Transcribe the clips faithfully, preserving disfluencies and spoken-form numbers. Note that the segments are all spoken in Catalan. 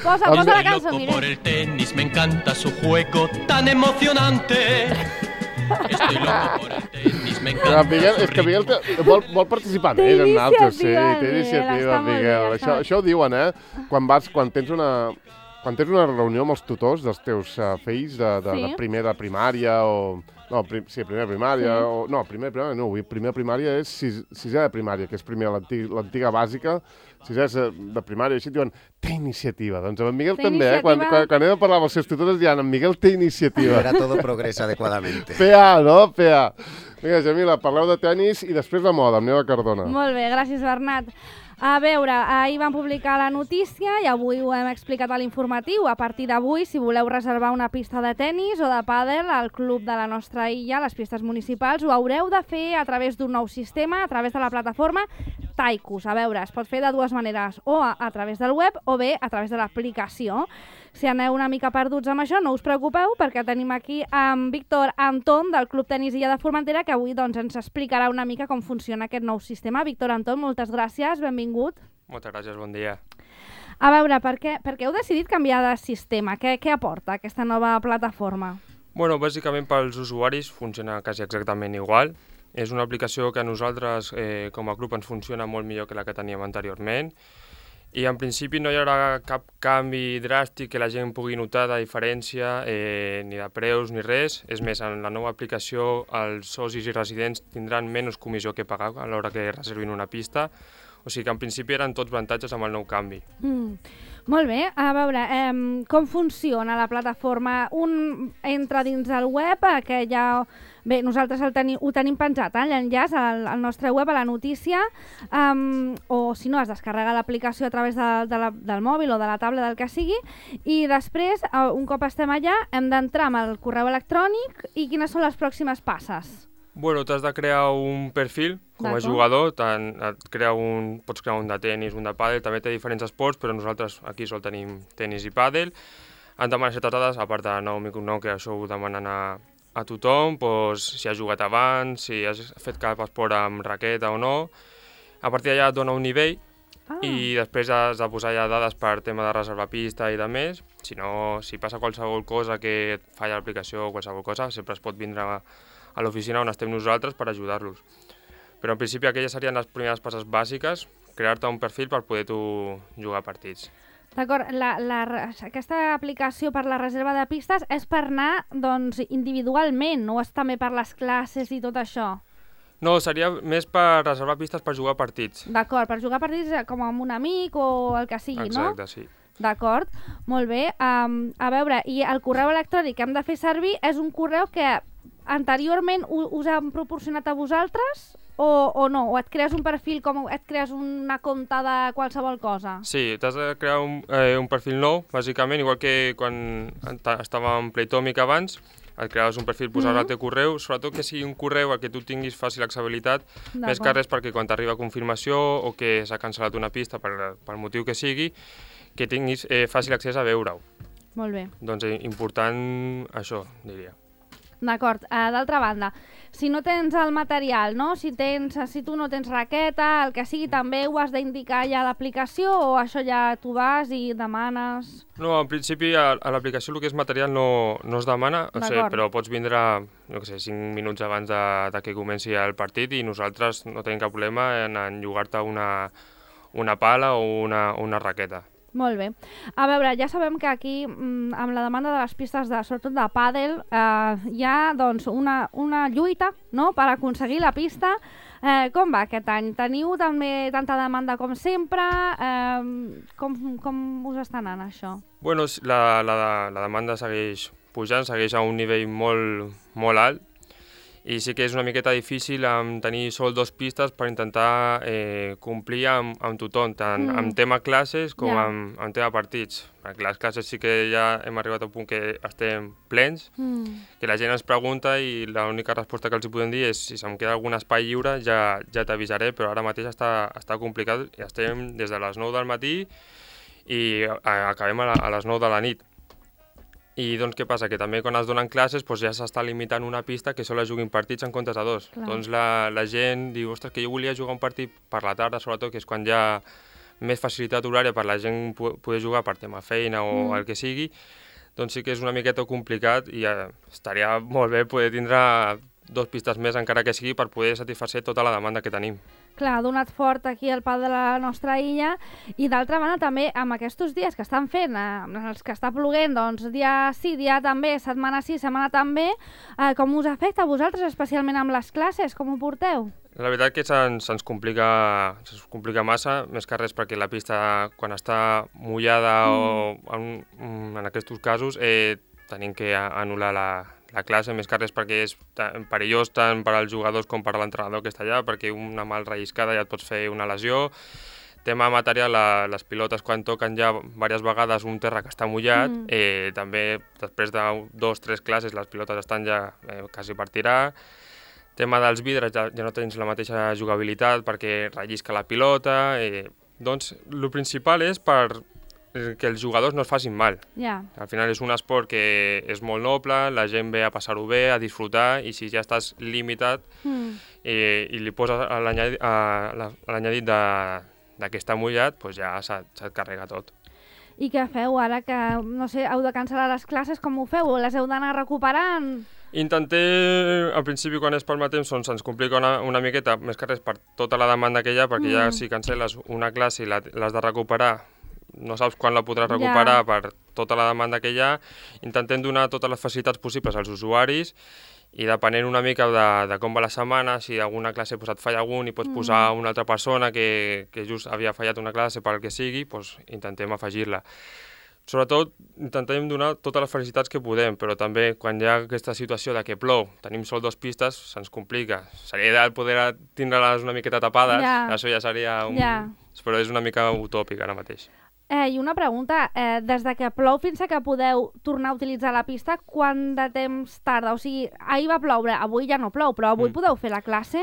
Posa, posa la cançó, Loco por Miguel. el tenis, me encanta su juego tan emocionante. Estoy loco por el tenis, me Però, encanta Miguel, su és que Miguel ritmo. té, vol, vol participar Té més en altres, sí, iniciativa, té Miguel, iniciativa, està molt bé, Miguel. està Això, bé. això ho diuen, eh? Quan vas, quan tens una, quan tens una reunió amb els tutors dels teus uh, fills de, de, Sí. de primer de primària o... No, prim, sí, primer de primària, Sí. o... No, primer de primària no, primer de primària és sis, sisè de primària, que és primer l'antiga l'antiga bàsica, sisè de, de primària, així et diuen, té iniciativa. Doncs amb en Miguel Té també, eh? Quan, iniciativa. quan, quan he de parlar amb els seus tutors, diran, en Miguel té iniciativa. Ahora todo progresa adecuadamente. P A, no? P A. Vinga, Jamila, parleu de tennis i després de moda, amb Neva Cardona. Molt bé, gràcies, Bernat. A veure, ahir van publicar la notícia i avui ho hem explicat a l'informatiu. A partir d'avui, si voleu reservar una pista de tennis o de pàdel al club de la nostra illa, les pistes municipals, ho haureu de fer a través d'un nou sistema, a través de la plataforma Taikus. A veure, es pot fer de dues maneres, o a, a través del web o bé a través de l'aplicació. Si aneu una mica perduts amb això, no us preocupeu, perquè tenim aquí amb Víctor Antón, del Club Tenis Illa de Formentera, que avui doncs, ens explicarà una mica com funciona aquest nou sistema. Víctor Antón, moltes gràcies, benvingut. Moltes gràcies, bon dia. A veure, per què, per què heu decidit canviar de sistema? Què, què aporta aquesta nova plataforma? Bueno, bàsicament pels usuaris funciona quasi exactament igual. És una aplicació que a nosaltres eh, com a club ens funciona molt millor que la que teníem anteriorment i en principi no hi haurà cap canvi dràstic que la gent pugui notar de diferència, eh, ni de preus ni res. És més, en la nova aplicació els socis i residents tindran menys comissió que pagar a l'hora que reservin una pista. O sigui que en principi eren tots avantatges amb el nou canvi. Mm. Molt bé, a veure, eh, com funciona la plataforma? Un entra dins del web, eh, que ja... Bé, nosaltres el teni, ho tenim penjat, eh, l'enllaç al, al nostre web, a la notícia, um, o si no, es descarrega l'aplicació a través de, de la, del mòbil o de la taula, del que sigui, i després, uh, un cop estem allà, hem d'entrar amb el correu electrònic i quines són les pròximes passes? Bueno, t'has de crear un perfil com a jugador, tant et crea un, pots crear un de tenis, un de pàdel, també té diferents esports, però nosaltres aquí sol tenim tenis i pàdel. Han demanat certes dades, a part de nom i cognom, que això ho demanen a, a tothom, doncs, si has jugat abans, si has fet cap esport amb raqueta o no. A partir d'allà et dona un nivell ah. i després has de posar ja dades per tema de reservar pista i de més. Si no, si passa qualsevol cosa que et falla l'aplicació o qualsevol cosa, sempre es pot vindre a, a l'oficina on estem nosaltres per ajudar-los. Però en principi aquelles serien les primeres passes bàsiques, crear-te un perfil per poder tu jugar partits. D'acord, la, la, aquesta aplicació per la reserva de pistes és per anar doncs, individualment, no és també per les classes i tot això? No, seria més per reservar pistes per jugar partits. D'acord, per jugar partits com amb un amic o el que sigui, Exacte, no? Exacte, sí. D'acord, molt bé. Um, a veure, i el correu electrònic que hem de fer servir és un correu que anteriorment us han proporcionat a vosaltres o, o no? O et crees un perfil, com et crees una compte de qualsevol cosa? Sí, t'has de crear un, eh, un perfil nou, bàsicament, igual que quan estava en Playtomic abans, et creaves un perfil, posaves mm-hmm. el teu correu, sobretot que sigui un correu al que tu tinguis fàcil accessibilitat, més que res perquè quan t'arriba confirmació o que s'ha cancel·lat una pista per, per motiu que sigui, que tinguis eh, fàcil accés a veure-ho. Molt bé. Doncs eh, important això, diria. D'acord. Uh, D'altra banda, si no tens el material, no? Si, tens, si tu no tens raqueta, el que sigui, també ho has d'indicar ja a l'aplicació o això ja tu vas i demanes? No, en principi a, a l'aplicació el que és material no, no es demana, o sigui, però pots vindre no sé, cinc minuts abans de, de que comenci el partit i nosaltres no tenim cap problema en, en llogar-te una, una pala o una, una raqueta. Molt bé. A veure, ja sabem que aquí, amb la demanda de les pistes, de, sobretot de pàdel, eh, hi ha doncs, una, una lluita, no?, per aconseguir la pista. Eh, com va aquest any? Teniu també tanta demanda com sempre? Eh, com, com us està anant això? Bueno, la, la, la demanda segueix pujant, segueix a un nivell molt, molt alt, i sí que és una miqueta difícil amb tenir sol dos pistes per intentar eh, complir amb, amb tothom, tant mm. amb tema classes com yeah. amb, amb tema partits. Perquè les classes sí que ja hem arribat a un punt que estem plens, mm. que la gent ens pregunta i l'única resposta que els podem dir és si se'm queda algun espai lliure ja, ja t'avisaré, però ara mateix està, està complicat i estem des de les nou del matí i acabem a, la, a les nou de la nit. I doncs què passa? Que també quan es donen classes doncs ja s'està limitant una pista que sols juguin partits en comptes de dos. Clar. Doncs la, la gent diu, ostres, que jo volia jugar un partit per la tarda, sobretot, que és quan hi ha més facilitat horària per la gent poder jugar per tema feina o Mm. el que sigui, doncs sí que és una miqueta complicat i eh, estaria molt bé poder tindre dos pistes més, encara que sigui, per poder satisfer tota la demanda que tenim. Clar, ha donat fort aquí el pal de la nostra illa i d'altra banda també amb aquests dies que estan fent, eh, els que està ploguent, doncs dia sí, dia també, setmana sí, setmana també, eh, com us afecta a vosaltres, especialment amb les classes, com ho porteu? La veritat que se'ns se complica, se complica massa, més que res perquè la pista, quan està mullada mm. o en, en aquests casos, eh, tenim que anul·lar la, la classe, més que res perquè és perillós tant per als jugadors com per a l'entrenador que està allà, perquè una mal relliscada ja et pots fer una lesió. Tema material, la, les pilotes quan toquen ja diverses vegades un terra que està mullat, mm. eh, també després de dos o tres classes les pilotes estan ja eh, quasi per tirar. Tema dels vidres, ja, ja no tens la mateixa jugabilitat perquè rellisca la pilota. Eh, doncs, el principal és per que els jugadors no es facin mal. Yeah. Al final és un esport que és molt noble, la gent ve a passar-ho bé, a disfrutar, i si ja estàs limitat mm. eh, i li poses a l'anyadit de, de que està mullat, doncs ja se't, se't carrega tot. I què feu ara que, no sé, heu de cancel·lar les classes, com ho feu? Les heu d'anar recuperant? Intenté, al principi, quan és pel mateix temps, doncs ens complica una, una miqueta, més que res per tota la demanda que hi ha, perquè mm. ja si cancel·les una classe i l'has de recuperar, no saps quan la podràs recuperar yeah. per tota la demanda que hi ha. Intentem donar totes les facilitats possibles als usuaris i depenent una mica de, de com va la setmana, si alguna classe pues, et falla algun i pots mm. posar una altra persona que, que just havia fallat una classe per al que sigui, pues, intentem afegir-la. Sobretot, intentem donar totes les facilitats que podem, però també quan hi ha aquesta situació de que plou, tenim sol dos pistes, se'ns complica. Seria ideal poder tindre-les una miqueta tapades, yeah. això ja seria un... Yeah. Però és una mica utòpic ara mateix. Eh, I una pregunta, eh, des de que plou fins a que podeu tornar a utilitzar la pista, quant de temps tarda? O sigui, ahir va ploure, avui ja no plou, però avui mm. podeu fer la classe?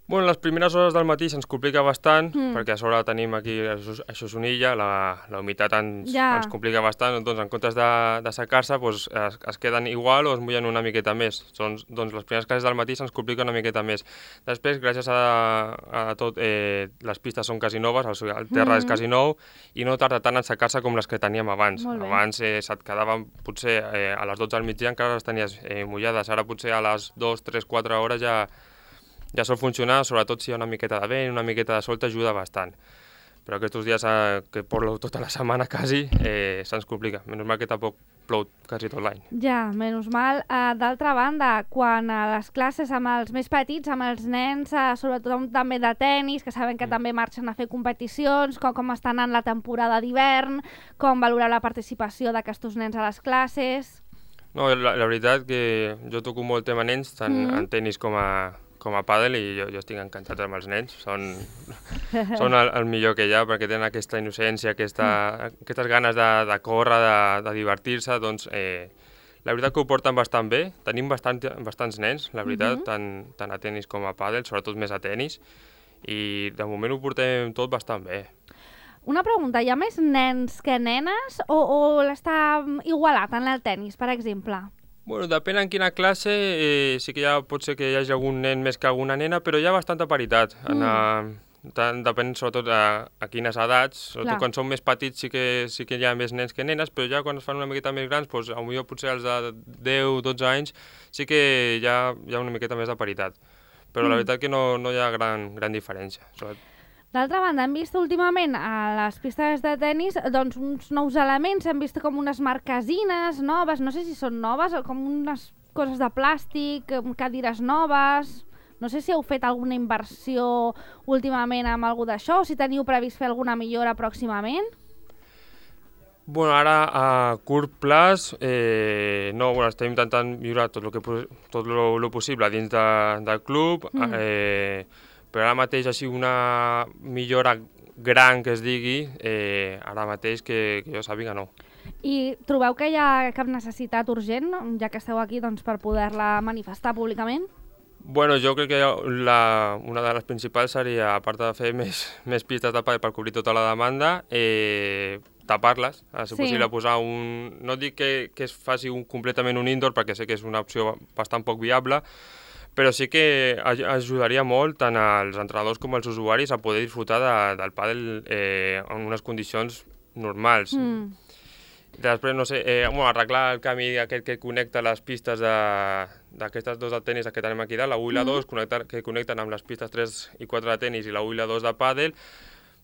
Bueno, les primeres hores del matí se'ns complica bastant, mm. perquè a sobre tenim aquí, això, això és una illa, la, la humitat ens, ja. ens complica bastant, doncs en comptes de, de secar-se doncs, es, es queden igual o es mullen una miqueta més. Doncs, doncs les primeres classes del matí se'ns complica una miqueta més. Després, gràcies a, a tot, eh, les pistes són quasi noves, el, el terra mm. és quasi nou, i no tarda tant en secar-se com les que teníem abans. Abans eh, se't quedaven potser eh, a les dotze del migdia encara les tenies eh, mullades, ara potser a les dues, tres, quatre hores ja... ja sol funcionar, sobretot si hi ha una miqueta de vent, una miqueta de sol t'ajuda bastant. Però aquests dies eh, que plou tota la setmana quasi, eh, se'ns complica. Menys mal que tampoc plou quasi tot l'any. Ja, menys mal. Uh, D'altra banda, quan a les classes amb els més petits, amb els nens, uh, sobretot també de tennis, que saben que mm. també marxen a fer competicions, com, com està anant la temporada d'hivern, com valoreu la participació d'aquests nens a les classes... No, la, la veritat que jo toco molt tema nens, tant mm. en tennis com a... com a pàdel, i jo, jo estic encantat amb els nens, són, són el, el millor que hi ha, perquè tenen aquesta innocència, aquesta, mm. aquestes ganes de, de córrer, de, de divertir-se, doncs eh, la veritat que ho porten bastant bé, tenim bastant, bastants nens, la veritat, mm-hmm. tant, tant a tennis com a pàdel, sobretot més a tennis, i de moment ho portem tot bastant bé. Una pregunta, hi ha més nens que nenes o, o l'està igualat en el tennis, per exemple? Bueno, depèn en quina classe, eh, sí que ja pot ser que hi hagi algun nen més que alguna nena, però hi ha bastanta paritat. Mm. En, uh, tant, depèn sobretot a, a quines edats, sobretot Clar. Quan són més petits sí que, sí que hi ha més nens que nenes, però ja quan es fan una miqueta més grans, doncs, potser, potser els de deu o dotze anys, sí que hi ha, hi ha una miqueta més de paritat. Però mm. la veritat que no, no hi ha gran, gran diferència. Sobretot. D'altra banda, hem vist últimament a les pistes de tennis doncs, uns nous elements, hem vist com unes marquesines noves, no sé si són noves, o com unes coses de plàstic, cadires noves... No sé si heu fet alguna inversió últimament amb alguna d'això, o si teniu previst fer alguna millora pròximament? Bueno, ara a curt plaç, eh, no, bueno, estem intentant millorar tot el que tot lo, lo possible dins de, del club, mm. eh, però ara mateix així una millora gran que es digui, eh, ara mateix que, que jo sàpiga no. I trobeu que hi ha cap necessitat urgent, ja que esteu aquí, doncs, per poder-la manifestar públicament? Bueno, jo crec que la, una de les principals seria, a part de fer més, més pistes de pàdel per cobrir tota la demanda, eh, tapar-les, si sí. possible posar un... No dic que, que es faci un, completament un indoor, perquè sé que és una opció bastant poc viable, però sí que ajudaria molt tant als entrenadors com als usuaris a poder disfrutar de, del pàdel eh, en unes condicions normals. Mm. Després, no sé, eh, bueno, arreglar el camí aquest que connecta les pistes d'aquestes dos de tenis que tenim aquí dalt, la u i la dos, connectar, que connecten amb les pistes tres i quatre de tenis i la u i la dos de pàdel,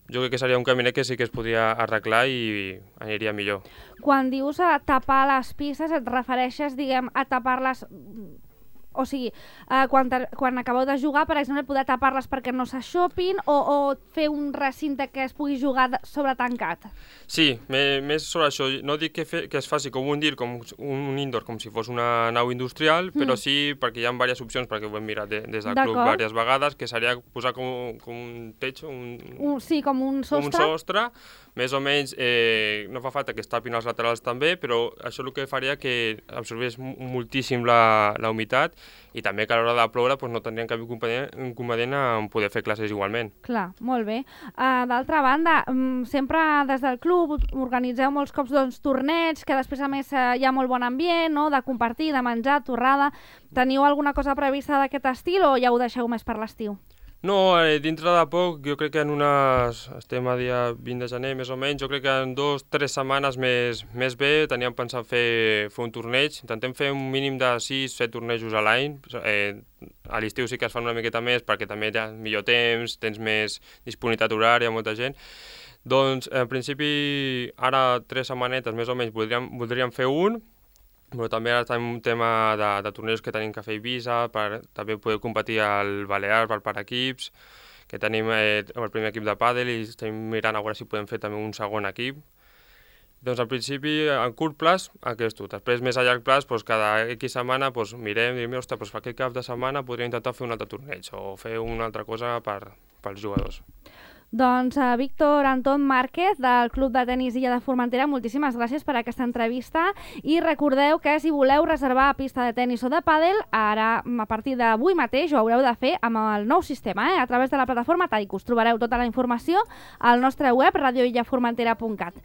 jo crec que seria un caminet que sí que es podria arreglar i aniria millor. Quan dius a tapar les pistes, et refereixes, diguem, a tapar-les... O sigui, eh, quan, quan acabeu de jugar, per exemple, poder tapar-les perquè no s'aixopin o, o fer un recinte que es pugui jugar sobre tancat? Sí, més sobre això. No dic que, fe, que es faci com un dir, com un indoor, com si fos una nau industrial, mm. però sí perquè hi ha diverses opcions, perquè ho hem mirat de, des del club diverses vegades, que seria posar com, com un techo, un, un, sí, com un sostre, un sostre més o menys, eh, no fa falta que es tapin els laterals també, però això el que faria que absorbés moltíssim la, la humitat i també que a l'hora de ploure doncs, no tindrien cap inconvenient en poder fer classes igualment. Clar, molt bé. Uh, D'altra banda, um, sempre des del club organitzeu molts cops doncs, torneigs, que després a més uh, hi ha molt bon ambient, no? De compartir, de menjar, torrada. Teniu alguna cosa prevista d'aquest estil o ja ho deixeu més per l'estiu? No, eh, dintre de poc, jo crec que en unes... Estem a dia vint de gener, més o menys, jo crec que en dos, tres setmanes més, més bé teníem pensat fer, fer un torneig. Intentem fer un mínim de sis, set tornejos a l'any. Eh, a l'estiu sí que es fan una miqueta més perquè també hi ha millor temps, tens més disponibilitat horària, molta gent. Doncs, en principi, ara tres setmanetes més o menys voldríem, voldríem fer un, però també ara tenim un tema de, de tornejos que tenim que fer a Eivissa, per també poder competir al Balears, per, per equips, que tenim eh, el primer equip de pàdel i estem mirant a veure si podem fer també un segon equip. Doncs al principi, a curt plaç, aquest. Després, més a llarg plaç, doncs, cada X setmana doncs, mirem i diem, ostres, doncs, aquest cap de setmana podríem intentar fer un altre torneig o fer una altra cosa per, pels jugadors. Doncs uh, Víctor Anton Márquez, del Club de Tenis Illa de Formentera, moltíssimes gràcies per aquesta entrevista i recordeu que si voleu reservar pista de tenis o de pàdel, ara a partir d'avui mateix ho haureu de fer amb el nou sistema, eh? A través de la plataforma Taicus. Trobareu tota la informació al nostre web radio illa formentera punt cat.